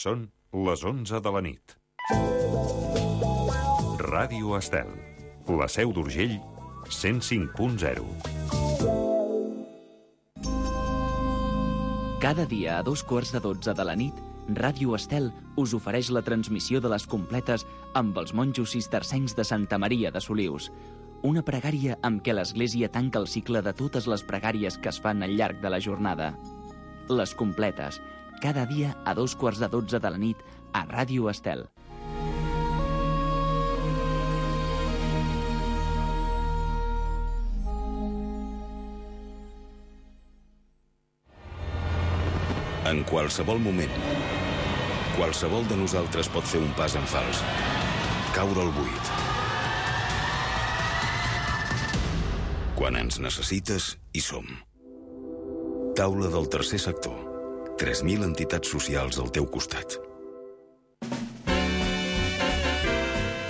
Són les 11 de la nit. Ràdio Estel, la Seu d'Urgell, 105.0. Cada dia a 2:15 de la nit, Ràdio Estel us ofereix la transmissió de les completes amb els monjos cistercencs de Santa Maria de Solius. Una pregària amb què l'Església tanca el cicle de totes les pregàries que es fan al llarg de la jornada. Les completes, cada dia a 2:15 de la nit a Ràdio Estel. En qualsevol moment, qualsevol de nosaltres pot fer un pas en fals, caure al buit. Quan ens necessites, hi som. Taula del tercer sector. 3.000 entitats socials al teu costat.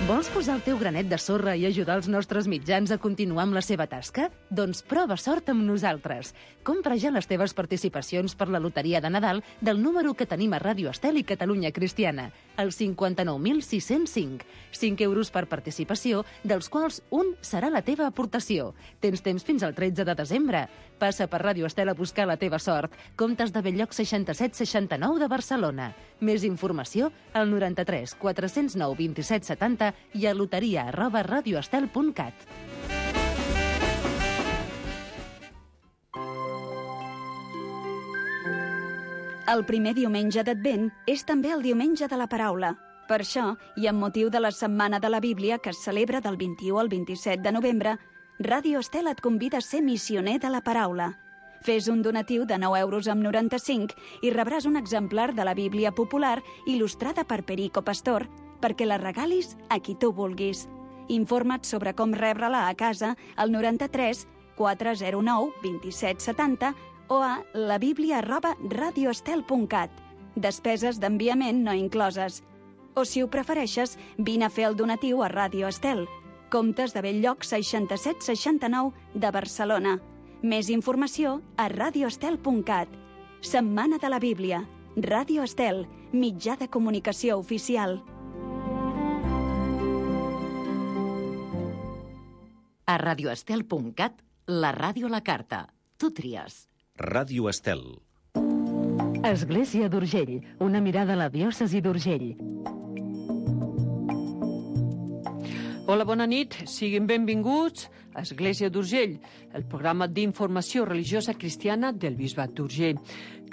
Vols posar el teu granet de sorra i ajudar els nostres mitjans a continuar amb la seva tasca? Doncs prova sort amb nosaltres. Compra ja les teves participacions per la loteria de Nadal del número que tenim a Ràdio Estel i Catalunya Cristiana, el 59.605. 5 euros per participació, dels quals un serà la teva aportació. Tens temps fins al 13 de desembre. Passa per Ràdio Estel a buscar la teva sort. Comptes de Belllloc 6769 de Barcelona. Més informació al 93 409 27 70 i a loteria@radioestel.cat. El primer diumenge d'Advent és també el diumenge de la paraula. Per això, i amb motiu de la Setmana de la Bíblia, que es celebra del 21 al 27 de novembre, Ràdio Estel et convida a ser missioner de la paraula. Fes un donatiu de 9,95 € i rebràs un exemplar de la Bíblia popular il·lustrada per Perico Pastor, perquè la regalis a qui tu vulguis. Informa't sobre com rebre-la a casa al 93 409 27 70 o a labiblia@radioestel.cat. Despeses d'enviament no incloses. O, si ho prefereixes, vine a fer el donatiu a Ràdio Estel, Comptes de Belllloc 6769 de Barcelona. Més informació a radioestel.cat. Setmana de la Bíblia. Ràdio Estel, mitjà de comunicació oficial. A radioestel.cat, la ràdio a la carta. Tu tries. Ràdio Estel. Església d'Urgell, una mirada a la diòcesi d'Urgell. Hola, bona nit. Siguin benvinguts a Església d'Urgell, el programa d'informació religiosa cristiana del Bisbat d'Urgell.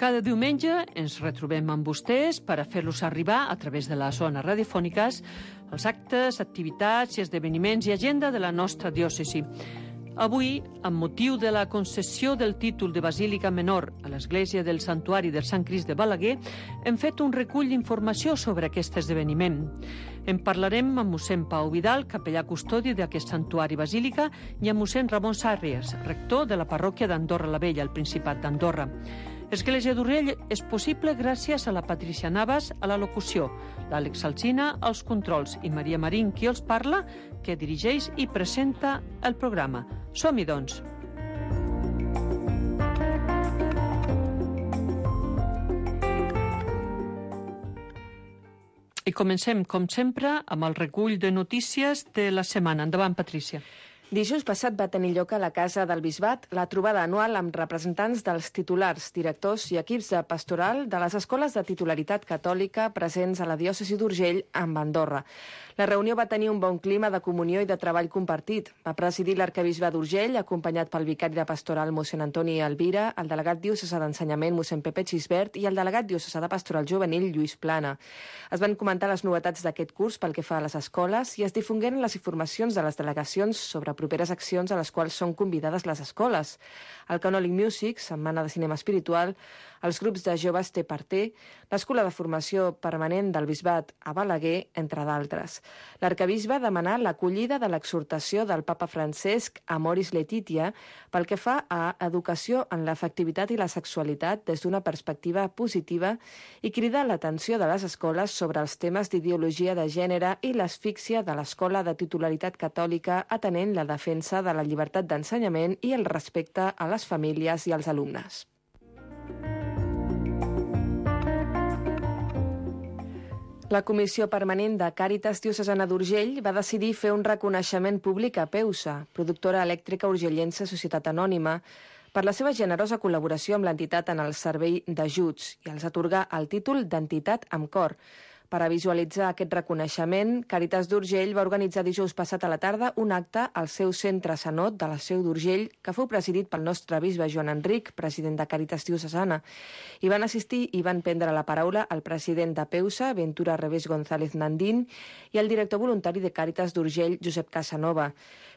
Cada diumenge ens retrobem amb vostès per a fer-los arribar, a través de les zones radiofòniques, els actes, activitats i esdeveniments i agenda de la nostra diòcesi. Avui, amb motiu de la concessió del títol de Basílica Menor a l'Església del Santuari del Sant Crist de Balaguer, hem fet un recull d'informació sobre aquest esdeveniment. En parlarem amb mossèn Pau Vidal, capellà custodi d'aquest santuari basílica, i amb mossèn Ramon Sàrries, rector de la parròquia d'Andorra la Vella, al Principat d'Andorra. Església d'Urgell és possible gràcies a la Patricia Navas a la locució, l'Àlex Alsina als controls i Maria Marín, qui els parla, que dirigeix i presenta el programa. Som-hi, doncs. I comencem, com sempre, amb el recull de notícies de la setmana. Endavant, Patrícia. Dijous passat va tenir lloc a la Casa del Bisbat la trobada anual amb representants dels titulars, directors i equips de pastoral de les escoles de titularitat catòlica presents a la diòcesi d'Urgell amb Andorra. La reunió va tenir un bon clima de comunió i de treball compartit. Va presidir l'arquebisbe d'Urgell, acompanyat pel vicari de pastoral mossèn Antoni Alvira, el delegat diocesà d'ensenyament mossèn Pepe Xisbert i el delegat diocesà de pastoral juvenil Lluís Plana. Es van comentar les novetats d'aquest curs pel que fa a les escoles i es difongueren les informacions de les delegacions sobre properes accions a les quals són convidades les escoles. El Canòlic Music, Setmana de Cinema Espiritual, els grups de joves Té per Té, l'Escola de Formació Permanent del Bisbat a Balaguer, entre d'altres. L'arquebisbe demanà l'acollida de l'exhortació del papa Francesc Amoris Laetitia pel que fa a educació en l'afectivitat i la sexualitat des d'una perspectiva positiva i cridar l'atenció de les escoles sobre els temes d'ideologia de gènere i l'asfíxia de l'escola de titularitat catòlica atenent la defensa de la llibertat d'ensenyament i el respecte a les famílies i als alumnes. La Comissió Permanent de Càritas Diocesana d'Urgell va decidir fer un reconeixement públic a Peusa, productora elèctrica urgellense Societat Anònima, per la seva generosa col·laboració amb l'entitat en el servei d'ajuts i els atorgar el títol d'entitat amb cor. Per a visualitzar aquest reconeixement, Càritas d'Urgell va organitzar dijous passat a la tarda un acte al seu centre Sanot de la Seu d'Urgell, que fou presidit pel nostre bisbe Joan Enric, president de Càritas Diocesana. Hi van assistir i van prendre la paraula el president de Peusa, Ventura Revés González Nandín, i el director voluntari de Càritas d'Urgell, Josep Casanova.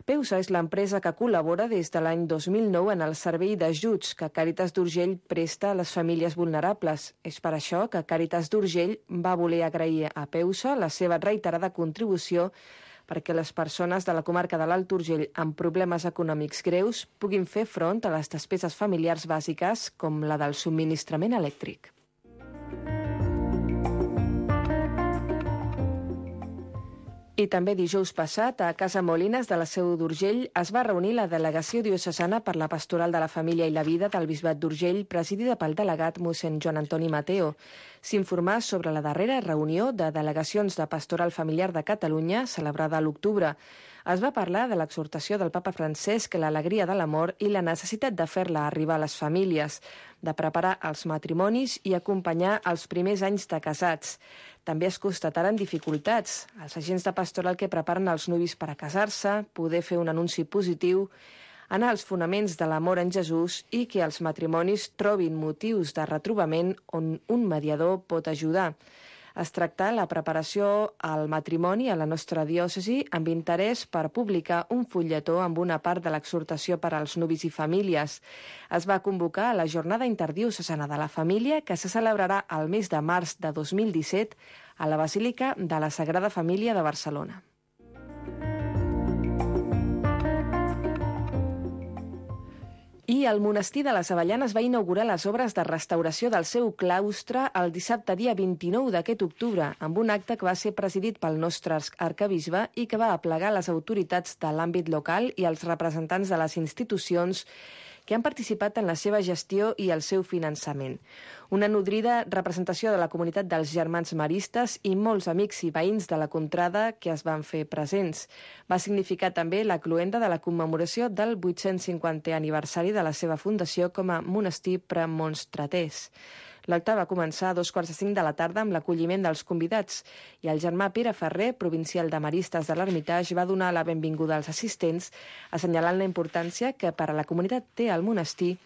Peusa és l'empresa que col·labora des de l'any 2009 en el servei d'ajuts que Càritas d'Urgell presta a les famílies vulnerables. És per això que Càritas d'Urgell va voler agrair a Peusa la seva reiterada contribució perquè les persones de la comarca de l'Alt Urgell amb problemes econòmics greus puguin fer front a les despeses familiars bàsiques com la del subministrament elèctric. I també dijous passat, a Casa Molines de la Seu d'Urgell, es va reunir la delegació diocesana per la Pastoral de la Família i la Vida del Bisbat d'Urgell, presidida pel delegat mossèn Joan Antoni Mateo. S'informà sobre la darrera reunió de delegacions de Pastoral Familiar de Catalunya, celebrada a l'octubre. Es va parlar de l'exhortació del papa Francesc, l'alegria de l'amor i la necessitat de fer-la arribar a les famílies, de preparar els matrimonis i acompanyar els primers anys de casats. També es constataren dificultats. Els agents de pastoral que preparen els nuvis per a casar-se, poder fer un anunci positiu, anar als fonaments de l'amor en Jesús i que els matrimonis trobin motius de retrobament on un mediador pot ajudar. Es tracta la preparació al matrimoni a la nostra diòcesi amb interès per publicar un fulletó amb una part de l'exhortació per als nuvis i famílies. Es va convocar a la Jornada Interdiocesana de la Família que se celebrarà el mes de març de 2017 a la Basílica de la Sagrada Família de Barcelona. I el monestir de les Avellanes va inaugurar les obres de restauració del seu claustre el dissabte dia 29 d'aquest octubre, amb un acte que va ser presidit pel nostre arcabisbe i que va aplegar les autoritats de l'àmbit local i els representants de les institucions que han participat en la seva gestió i el seu finançament. Una nodrida representació de la comunitat dels germans maristes i molts amics i veïns de la contrada que es van fer presents. Va significar també la cloenda de la commemoració del 850è aniversari de la seva fundació com a monestir premonstratès. L'acte va començar a 2:45 de la tarda amb l'acolliment dels convidats i el germà Pere Ferrer, provincial de Maristes de l'Hermitage, va donar la benvinguda als assistents, assenyalant la importància que per a la comunitat té el monestir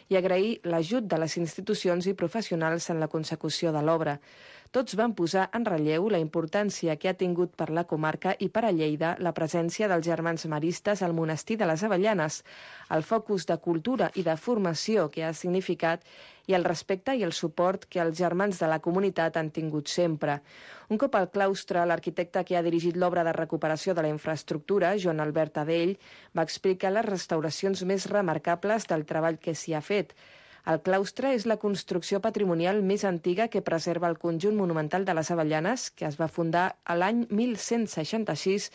i agrair l'ajut de les institucions i professionals en la consecució de l'obra. Tots van posar en relleu la importància que ha tingut per la comarca i per a Lleida la presència dels germans maristes al monestir de les Avellanes, el focus de cultura i de formació que ha significat i el respecte i el suport que els germans de la comunitat han tingut sempre. Un cop al claustre, l'arquitecte que ha dirigit l'obra de recuperació de la infraestructura, Joan Albert Adell, va explicar les restauracions més remarcables del treball que s'hi ha fet. El claustre és la construcció patrimonial més antiga que preserva el conjunt monumental de les Avellanes, que es va fundar a l'any 1166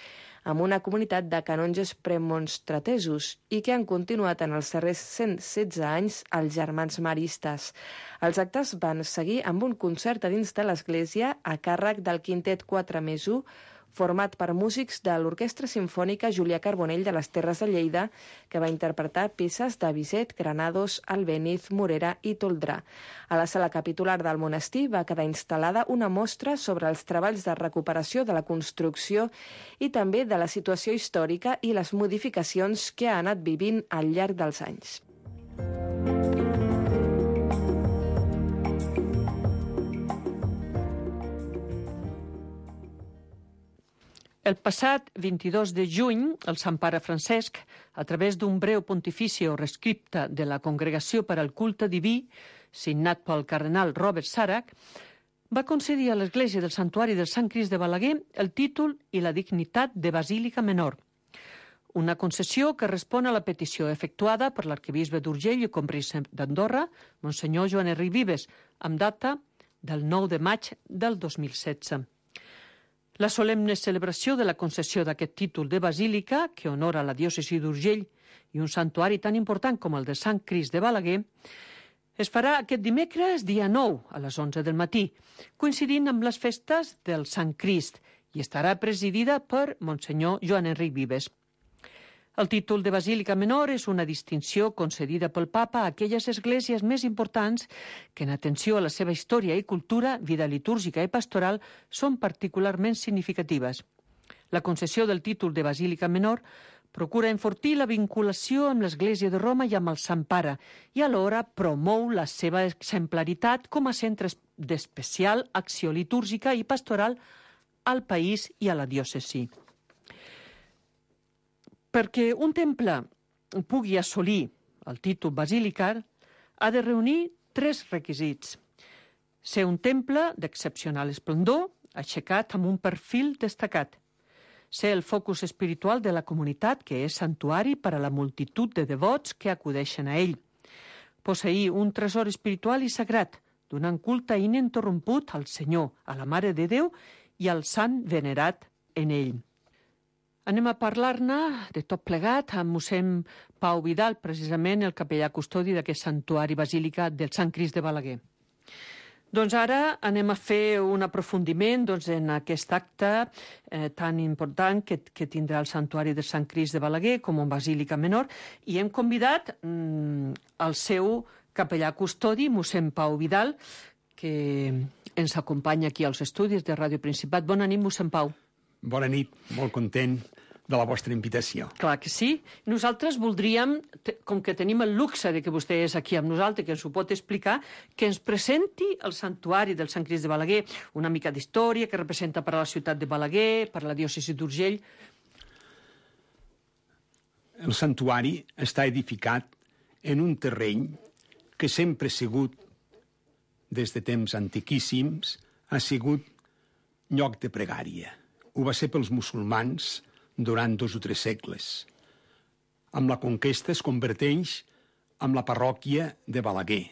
amb una comunitat de canonges premonstratesos i que han continuat en els darrers 116 anys els germans maristes. Els actes van seguir amb un concert a dins de l'església a càrrec del quintet 4+1, format per músics de l'Orquestra Simfònica Julià Carbonell de les Terres de Lleida, que va interpretar peces de Bizet, Granados, Albéniz, Morera i Toldrà. A la sala capitular del monestir va quedar instal·lada una mostra sobre els treballs de recuperació de la construcció i també de la situació històrica i les modificacions que ha anat vivint al llarg dels anys. El passat 22 de juny, el Sant Pare Francesc, a través d'un breu pontificio rescripte de la Congregació per al Culte Diví, signat pel cardenal Robert Sarach, va concedir a l'Església del Santuari del Sant Crist de Balaguer el títol i la dignitat de Basílica Menor. Una concessió que respon a la petició efectuada per l'arquebisbe d'Urgell i Combric d'Andorra, Monsenyor Joan Enric Vives, amb data del 9 de maig del 2016. La solemne celebració de la concessió d'aquest títol de basílica, que honora la diòcesi d'Urgell i un santuari tan important com el de Sant Crist de Balaguer, Es farà aquest dimecres, dia 9, a les 11 del matí, coincidint amb les festes del Sant Crist, i estarà presidida per Monsenyor Joan Enric Vives. El títol de Basílica Menor és una distinció concedida pel Papa a aquelles esglésies més importants que, en atenció a la seva història i cultura, vida litúrgica i pastoral, són particularment significatives. La concessió del títol de Basílica Menor procura enfortir la vinculació amb l'Església de Roma i amb el Sant Pare i alhora promou la seva exemplaritat com a centre d'especial acció litúrgica i pastoral al país i a la diòcesi. Perquè un temple pugui assolir el títol basilical, ha de reunir 3 requisits. Ser un temple d'excepcional esplendor, aixecat amb un perfil destacat. Ser el focus espiritual de la comunitat, que és santuari per a la multitud de devots que acudeixen a ell. Posseir un tresor espiritual i sagrat, donant culte ininterromput al Senyor, a la Mare de Déu i al sant venerat en ell. Anem a parlar-ne de tot plegat amb mossèn Pau Vidal, precisament el capellà custodi d'aquest santuari basílica del Sant Crist de Balaguer. Doncs ara anem a fer un aprofundiment en aquest acte tan important que tindrà el santuari del Sant Crist de Balaguer com a basílica menor, i hem convidat el seu capellà custodi, mossèn Pau Vidal, que ens acompanya aquí als estudis de Ràdio Principat. Bona nit, mossèn Pau. Bona nit, molt content de la vostra invitació. Clar que sí. Nosaltres voldríem, com que tenim el luxe de que vostè és aquí amb nosaltres, que ens ho pot explicar, que ens presenti el santuari del Sant Crist de Balaguer, una mica d'història que representa per a la ciutat de Balaguer, per a la diòcesi d'Urgell. El santuari està edificat en un terreny que sempre ha sigut, des de temps antiquíssims, ha sigut lloc de pregària. Ho va ser pels musulmans durant 2 o 3 segles. Amb la conquesta es converteix en la parròquia de Balaguer.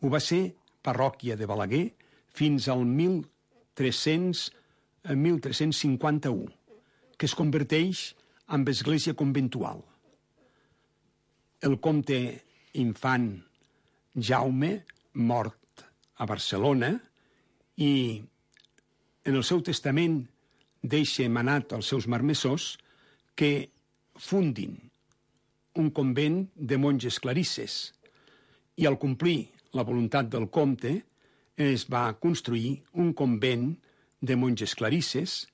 Ho va ser parròquia de Balaguer fins al 1351, que es converteix en església conventual. El comte infant Jaume, mort a Barcelona, i en el seu testament deixa manat als seus marmessors que fundin un convent de monges clarisses, i al complir la voluntat del comte es va construir un convent de monges clarisses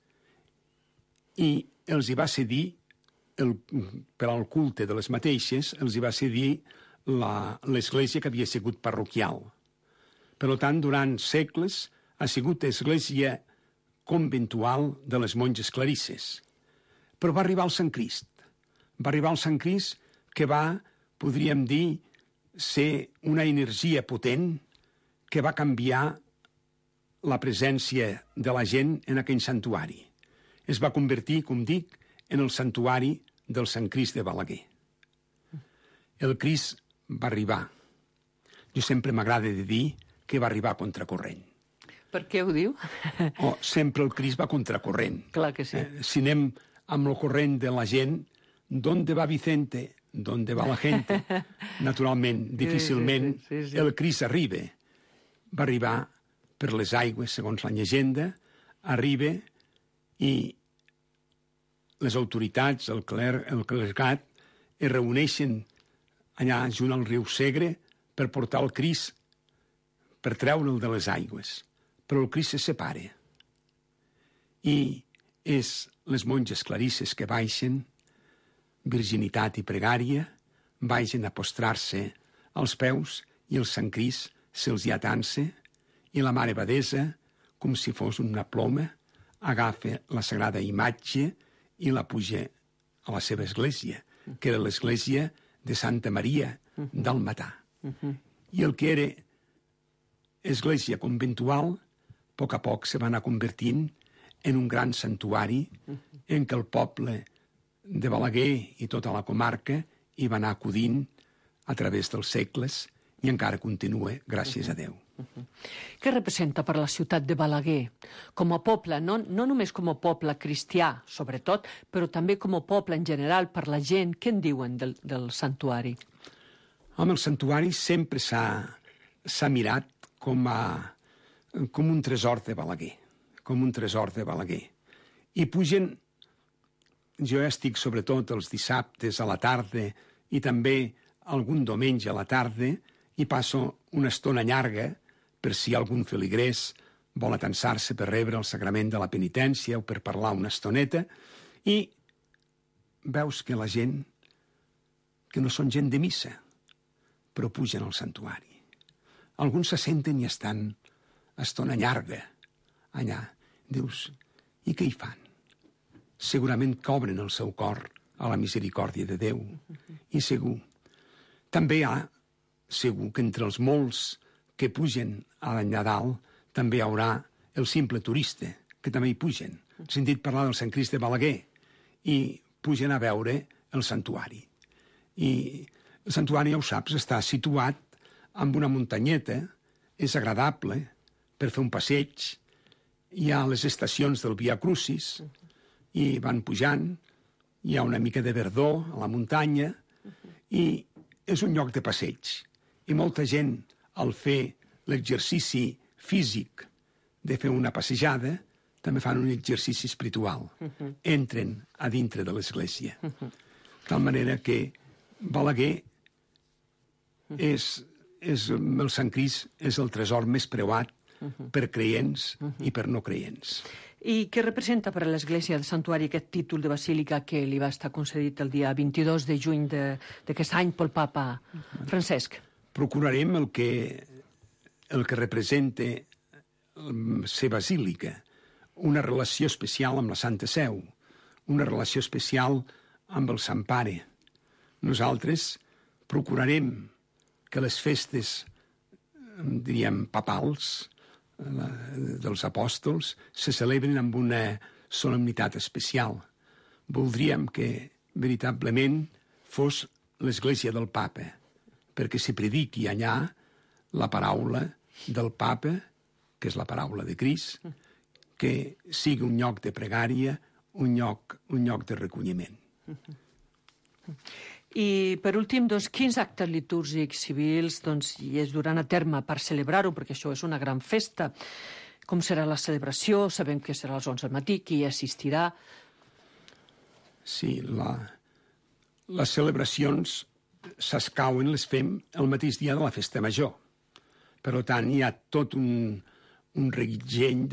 i els hi va cedir, per al culte de les mateixes, els hi va cedir l'església que havia sigut parroquial. Per tant, durant segles ha sigut església conventual de les monges clarisses. Però va arribar el Sant Crist. Va arribar el Sant Crist que va, podríem dir, ser una energia potent que va canviar la presència de la gent en aquell santuari. Es va convertir, com dic, en el santuari del Sant Crist de Balaguer. El Crist va arribar. Jo sempre m'agrada de dir que va arribar a contracorrent. Per què ho diu? Sempre el Crist va a contracorrent. Clar que sí. Si anem amb el corrent de la gent, ¿dónde va Vicente? ¿Dónde va la gente? Naturalment, difícilment, sí. El Crist arriba. Va arribar per les aigües, segons la llegenda, arriba i les autoritats, el clergat, es reuneixen allà junt al riu Segre per portar el Crist, per treure'l de les aigües. Però el Crist se separa. I és les monges clarisses que baixen, virginitat i pregària, baixen a postrar-se als peus i el Sant Crist se'ls hi atansa i la Mare Abadessa, com si fos una ploma, agafa la sagrada imatge i la puja a la seva església, que era l'església de Santa Maria d'Almatà. I el que era església conventual, a poc se va anar convertint en un gran santuari en què el poble de Balaguer i tota la comarca hi va anar acudint a través dels segles i encara continua, gràcies a Déu. Què representa per la ciutat de Balaguer? Com a poble, no només com a poble cristià, sobretot, però també com a poble en general, per la gent, què en diuen del santuari? Home, el santuari sempre s'ha s'ha mirat com un tresor de Balaguer, com un tresor de Balaguer. I pugen, jo ja estic sobretot els dissabtes a la tarda i també algun diumenge a la tarda i passo una estona llarga per si algun feligrés vol atansar-se per rebre el sagrament de la penitència o per parlar una estoneta, i veus que la gent, que no són gent de missa, però pugen al santuari. Alguns se senten i estan estona llarga allà. Dius, i què hi fan? Segurament que obren el seu cor a la misericòrdia de Déu. I segur, també segur que entre els molts que pugen a Nadal també hi haurà el simple turista, que també hi pugen. He sentit parlar del Sant Crist de Balaguer i pugen a veure el santuari. I el santuari, ja ho saps, està situat en una muntanyeta, és agradable per fer un passeig, hi ha les estacions del Via Crucis i van pujant, hi ha una mica de verdor a la muntanya i és un lloc de passeig. I molta gent, al fer l'exercici físic de fer una passejada, també fan un exercici espiritual. Entren a dintre de l'església. De tal manera que Balaguer el Sant Crist és el tresor més preuat per creients i per no creients. I què representa per a l'Església del Santuari aquest títol de basílica que li va estar concedit el dia 22 de juny d'aquest any pel papa Francesc? Procurarem el que representa ser basílica, una relació especial amb la Santa Seu, una relació especial amb el Sant Pare. Nosaltres procurarem que les festes, diríem, papals, dels apòstols, se celebren amb una solemnitat especial. Voldríem que, veritablement, fos l'Església del Papa, perquè s'hi prediqui allà la paraula del Papa, que és la paraula de Crist, que sigui un lloc de pregària, un lloc de recolliment. I, per últim, quins actes litúrgics civils hi es duran a terme per celebrar-ho, perquè això és una gran festa. Com serà la celebració? Sabem que serà a les 11 del matí, qui assistirà? Sí, les celebracions s'escauen, les fem el mateix dia de la festa major. Per tant, hi ha tot un reguitzell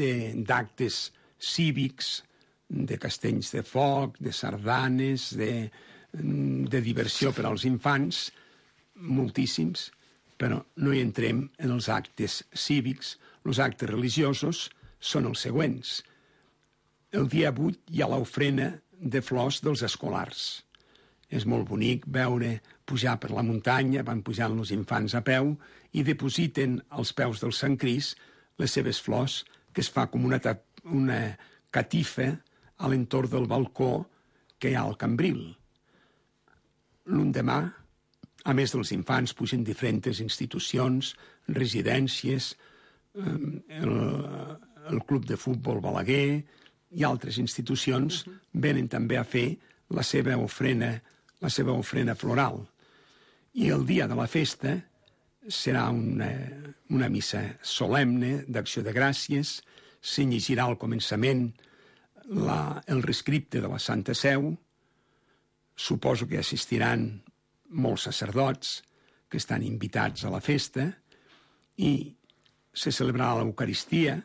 d'actes cívics, de castells de foc, de sardanes, de diversió per als infants, moltíssims, però no hi entrem en els actes cívics. Els actes religiosos són els següents. El dia 8 hi ha l'ofrena de flors dels escolars. És molt bonic veure pujar per la muntanya, van pujant els infants a peu i depositen als peus del Sant Crist les seves flors, que es fa com una catifa a l'entorn del balcó que hi ha al cambril. L'endemà, a més dels infants, pugen diferents institucions, residències, el club de futbol Balaguer i altres institucions venen també a fer la seva ofrena floral. I el dia de la festa serà una missa solemne d'acció de gràcies, se llegirà al començament el rescripte de la Santa Seu. Suposo que assistiran molts sacerdots que estan invitats a la festa i se celebrarà l'Eucaristia.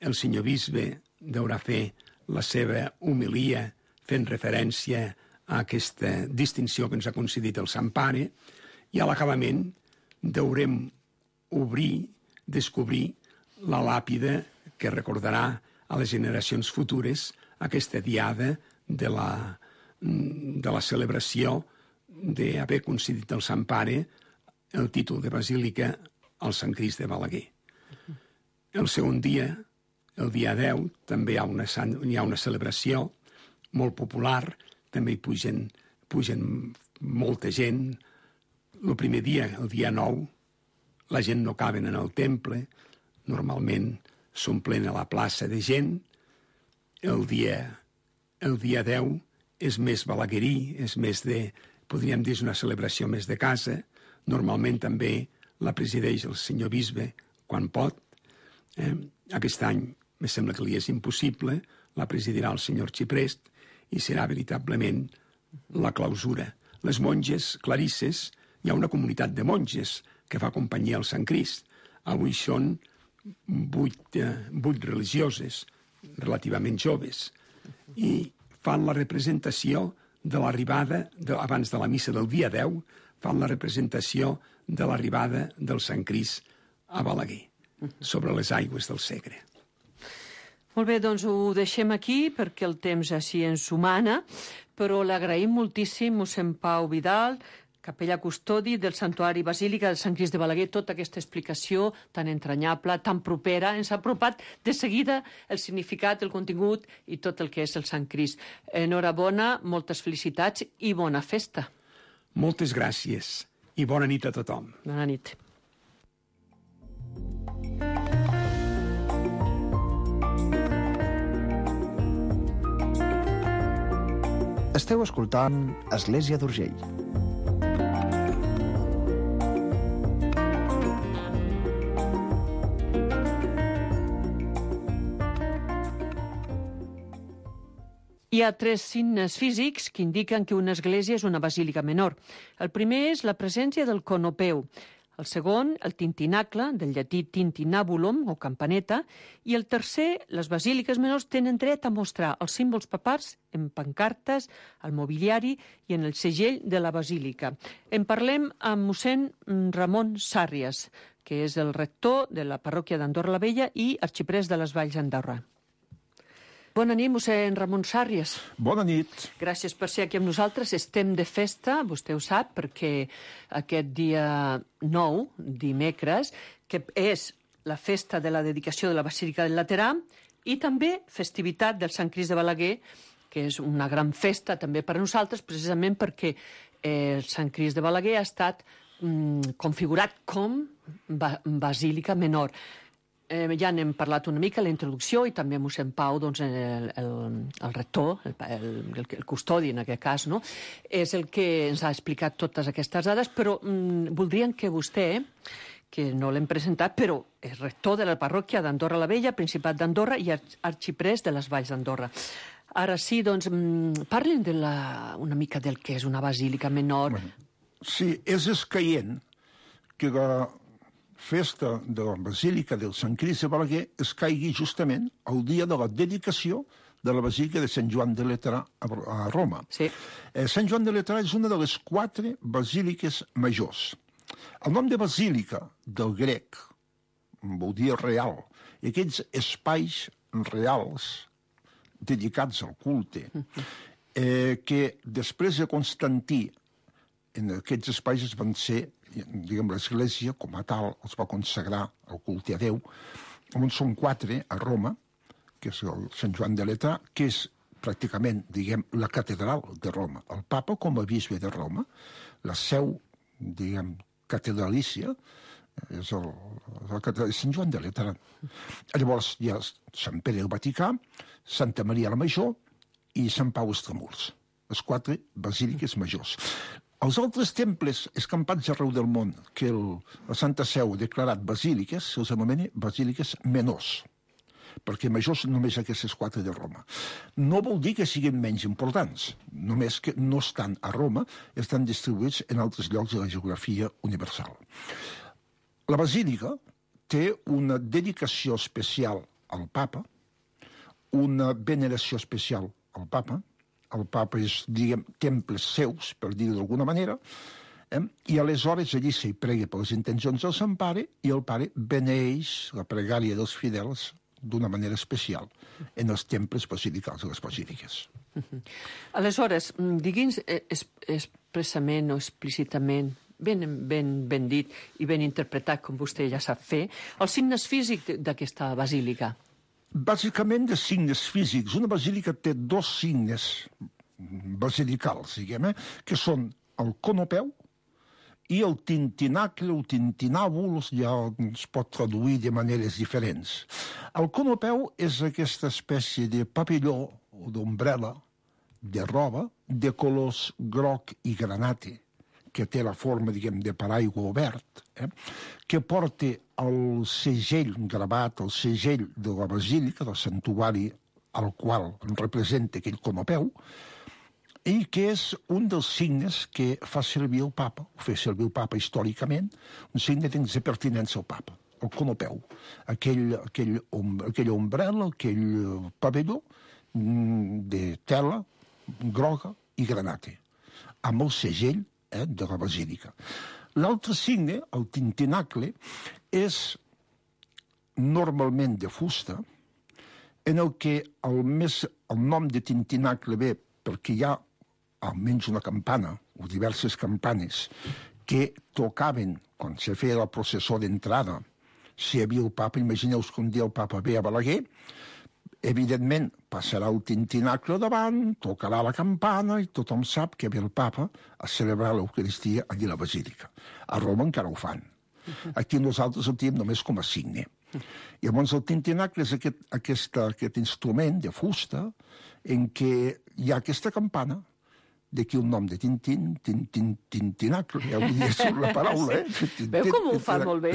El senyor bisbe deurà fer la seva homilia fent referència a aquesta distinció que ens ha concedit el Sant Pare i a l'acabament deurem descobrir la làpida que recordarà a les generacions futures aquesta diada de la celebració d'haver concedit al Sant Pare el títol de basílica al Sant Crist de Balaguer. El segon dia, el dia 10, també hi ha una celebració molt popular, també hi pugen molta gent. El primer dia, el dia 9, la gent no caben en el temple, normalment s'omplen a la plaça de gent. El dia 10 és més balaguerí, és més podríem dir, una celebració més de casa. Normalment també la presideix el senyor bisbe quan pot. Aquest any me sembla que li és impossible, la presidirà el senyor Arxiprest i serà veritablement la clausura. Les monges clarisses, hi ha una comunitat de monges que fa companyia al Sant Crist. Avui són 8 religioses, relativament joves, i fan la representació de l'arribada, abans de la missa del dia 10, fan la representació de l'arribada del Sant Crist a Balaguer, sobre les aigües del Segre. Molt bé, doncs ho deixem aquí perquè el temps així ens ho mana, però l'agraïm moltíssim, mossèn Pau Vidal, capellà custodi del Santuari Basílica del Sant Crist de Balaguer, tota aquesta explicació tan entranyable, tan propera, ens ha apropat de seguida el significat, el contingut i tot el que és el Sant Crist. Enhorabona, moltes felicitats i bona festa. Moltes gràcies i bona nit a tothom. Bona nit. Esteu escoltant Església d'Urgell. Hi ha 3 signes físics que indiquen que una església és una basílica menor. El primer és la presència del conopeu, el segon, el tintinacle, del llatí tintinabulum o campaneta, i el tercer, les basíliques menors tenen dret a mostrar els símbols papals en pancartes, al mobiliari i en el segell de la basílica. En parlem amb mossèn Ramon Sàrries, que és el rector de la parròquia d'Andorra la Vella i arxiprest de les Valls d'Andorra. Bona nit, mossèn Ramon Sàrries. Bona nit. Gràcies per ser aquí amb nosaltres. Estem de festa, vostè ho sap, perquè aquest dia 9, dimecres, que és la festa de la dedicació de la Basílica del Laterà i també festivitat del Sant Crist de Balaguer, que és una gran festa també per a nosaltres, precisament perquè el Sant Crist de Balaguer ha estat configurat com basílica menor. Ja n'hem parlat una mica a la introducció i també mossèn Pau, doncs, el rector, el custodi en aquest cas, no? És el que ens ha explicat totes aquestes dades, però voldríem que vostè, que no l'hem presentat, però és rector de la parròquia d'Andorra la Vella, Principat d'Andorra i arxiprest de les Valls d'Andorra. Ara sí, doncs, parlin una mica del que és una basílica menor. Sí, és escaient que la festa de la Basílica del Sant Crist de Balaguer es caigui justament el dia de la dedicació de la Basílica de Sant Joan de Laterà a Roma. Sí. Sant Joan de Laterà és una de les 4 basíliques majors. El nom de basílica, del grec, vol dir real, i aquests espais reals dedicats al culte, que després de Constantí en aquests espais es van ser, diguem, l'Església com a tal els va consagrar al culte a Déu, on són 4 a Roma, que és el Sant Joan de Laterà, que és pràcticament, diguem, la catedral de Roma. El papa com a bisbe de Roma, la seu, diguem, catedralícia, és el Sant Joan de Laterà. Llavors hi ha Sant Pere el Vaticà, Santa Maria la Major i Sant Pau Extramurs, les 4 basíliques majors. Els altres temples escampats arreu del món que la Santa Seu ha declarat basíliques, se'ls anomena basíliques menors, perquè majors només aquestes 4 de Roma. No vol dir que siguin menys importants, només que no estan a Roma, estan distribuïts en altres llocs de la geografia universal. La basílica té una dedicació especial al papa, una veneració especial al papa. El papa és, diguem, temples seus, per dir-ho d'alguna manera, i aleshores allí s'hi prega per les intencions del Sant Pare i el Pare beneeix la pregària dels fidels d'una manera especial en els temples basilicals de les basíliques. Aleshores, digui'ns expressament o explícitament, ben dit i ben interpretat, com vostè ja sap fer, els signes físics d'aquesta basílica. Bàsicament de signes físics. Una basílica té 2 signes basilicals, diguem, que són el conopeu i el tintinacle o tintinàbul, ja es pot traduir de maneres diferents. El conopeu és aquesta espècie de papilló o d'ombrella de roba de colors groc i granate, que té la forma, diguem, de paraigua obert, que porta el segell gravat, el segell de la basílica, del santuari al qual representa aquell conopeu, i que és un dels signes que fa servir el papa, ho fa servir el papa històricament, un signe de pertinença al papa, el conopeu, aquella ombrella, aquell pavelló de tela groga i granate, amb el segell de la basílica. L'altre signe, el tintinacle, és normalment de fusta, en el que el nom de tintinacle ve perquè hi ha almenys una campana o diverses campanes que tocaven quan se feia la processó d'entrada. Si hi havia el papa, imagineu-vos que un dia el papa ve a Balaguer, evidentment passarà el tintinacle davant, tocarà la campana i tothom sap que ve el papa a celebrar l'Eucaristia allí a la basílica. A Roma encara ho fan. Aquí nosaltres ho tenim només com a signe. I llavors el tintinacle és aquest instrument de fusta en què hi ha aquesta campana, d'aquí el nom de tintinacle, ja ho diria sobre la paraula, Veu com ho fa molt bé?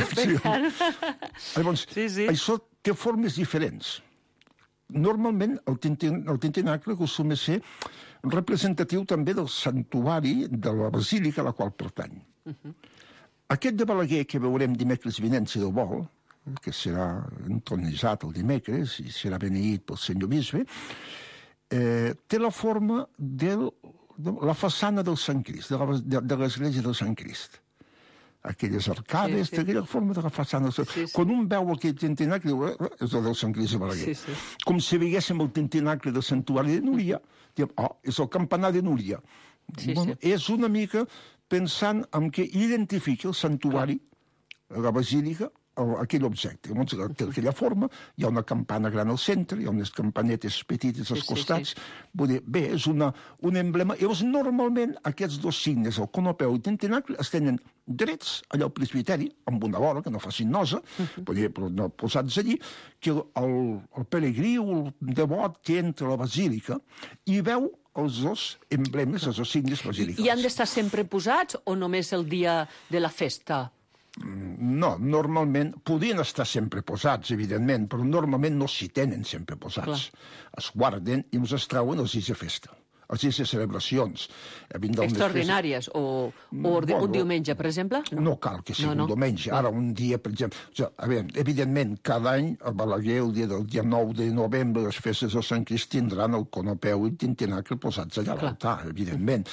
Llavors, això té formes diferents. Normalment el tintinacle acostuma a ser representatiu també del santuari de la basílica a la qual pertany. Aquest de Balaguer que veurem dimecres vinent, si Déu vol, que serà entronitzat el dimecres i serà beneït pel senyor bisbe, té la forma de la façana del Sant Crist, de l'església del Sant Crist. Aquelles arcades, aquella forma de la façana. Quan un veu aquell tintinacle, diu, és el del Sant Crist de Balaguer. Com si veiéssim el tintinacle del santuari de Núria, diem, és el campanar de Núria. És una mica pensant en què identifica el santuari, la basílica, aquell objecte. Té aquella forma, hi ha una campana gran al centre, hi ha unes campanetes petites als costats. Vull dir, bé, és un emblema. Llavors, normalment, aquests dos signes, el conopeu i el tintinacle, es tenen drets allà al presbiteri, amb una vora, que no facin nosa, però no posats allí, que el peregrí o el devot que entra a la basílica i veu els dos emblemes, els dos signes basilicals. I han d'estar sempre posats o només el dia de la festa? No, normalment podien estar sempre posats, evidentment, però normalment no s'hi tenen sempre posats. Es guarden i els trauen els dies de festa, els dies de celebracions. Extraordinàries o un diumenge, per exemple? No cal que sigui un diumenge. Ara, un dia, per exemple... Evidentment, cada any a Balaguer, el dia 9 de novembre, les festes del Sant Crist tindran el conopeu i el tintinacle posats allà a l'altar, evidentment.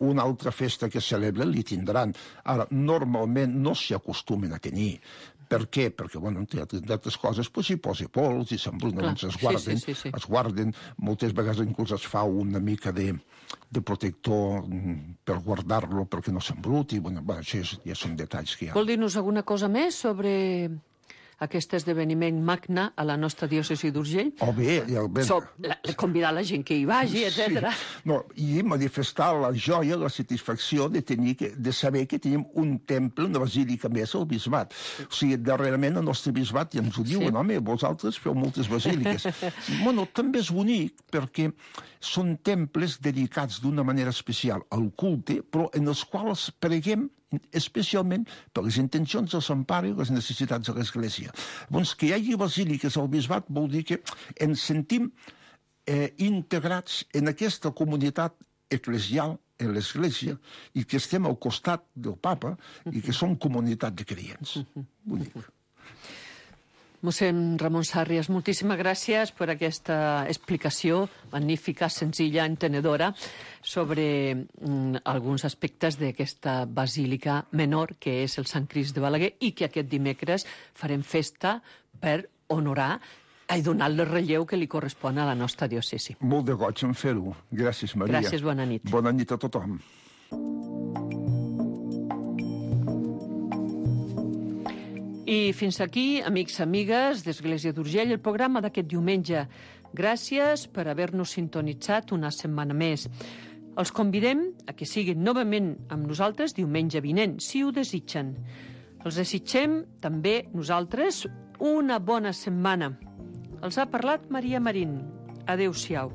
Una altra festa que celebren li tindran. Ara, normalment no s'hi acostumen a tenir. Per què? Perquè, entre altres coses, s'hi posa pols i s'embrunen, es guarden. Moltes vegades inclús es fa una mica de protector per guardar-lo perquè no s'embruti. Això ja són detalls que hi ha. Vol dir-nos alguna cosa més sobre aquest esdeveniment magne a la nostra diòcesi d'Urgell? Convidar la gent que hi vagi, etc. I manifestar la joia, la satisfacció de saber que tenim un temple, una basílica més al bisbat. O sigui, darrerament el nostre bisbat ja ens ho diuen, home, vosaltres feu moltes basíliques. També és bonic perquè són temples dedicats d'una manera especial al culte, però en els quals preguem especialment per les intencions del Sant Pare i les necessitats de l'Església. Doncs que hi hagi basíliques al bisbat vol dir que ens sentim integrats en aquesta comunitat eclesial, en l'Església, i que estem al costat del papa i que som comunitat de creients. Bonic. Mossèn Ramon Sàrries, moltíssimes gràcies per aquesta explicació magnífica, senzilla, entenedora, sobre alguns aspectes d'aquesta basílica menor, que és el Sant Crist de Balaguer, i que aquest dimecres farem festa per honorar i donar el relleu que li correspon a la nostra diòcesi. Molt de goig en fer-ho. Gràcies, Maria. Gràcies, bona nit. Bona nit a tothom. I fins aquí, amics i amigues d'Església d'Urgell, el programa d'aquest diumenge. Gràcies per haver-nos sintonitzat una setmana més. Els convidem a que siguin novament amb nosaltres diumenge vinent, si ho desitgen. Els desitgem també nosaltres una bona setmana. Els ha parlat Maria Marín. Adéu-siau.